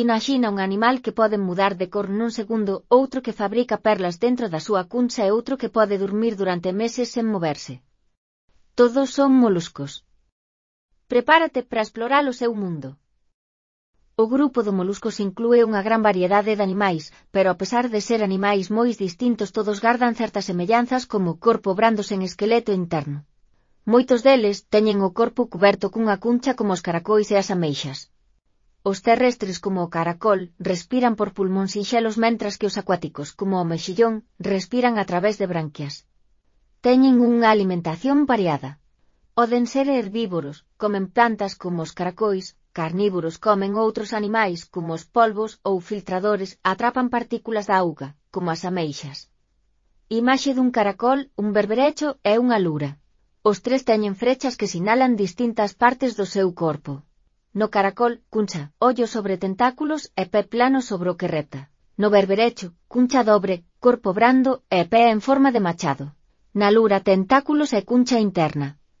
Imaxina un animal que pode mudar de cor nun segundo, outro que fabrica perlas dentro da súa cuncha e outro que pode dormir durante meses sen moverse. Todos son moluscos. Prepárate para explorar o seu mundo. O grupo de moluscos inclúe unha gran variedade de animais, pero a pesar de ser animais moi distintos todos gardan certas semellanzas como corpo brando sen esqueleto interno. Moitos deles teñen o corpo cuberto cunha cuncha como os caracois e as ameixas. Os terrestres como o caracol respiran por pulmóns sinxelos mentras que os acuáticos como o mexillón respiran a través de branquias. Teñen unha alimentación variada. Poden ser herbívoros, comen plantas como os caracois, carnívoros comen outros animais como os polvos ou filtradores atrapan partículas da auga, como as ameixas. Imaxe dun caracol, un berberecho e unha lura. Os tres teñen frechas que sinalan distintas partes do seu corpo. No caracol, cuncha, ollo sobre tentáculos e pé plano sobre o que repta. No berberecho, cuncha dobre, corpo brando e pé en forma de machado. Na lura tentáculos e cuncha interna.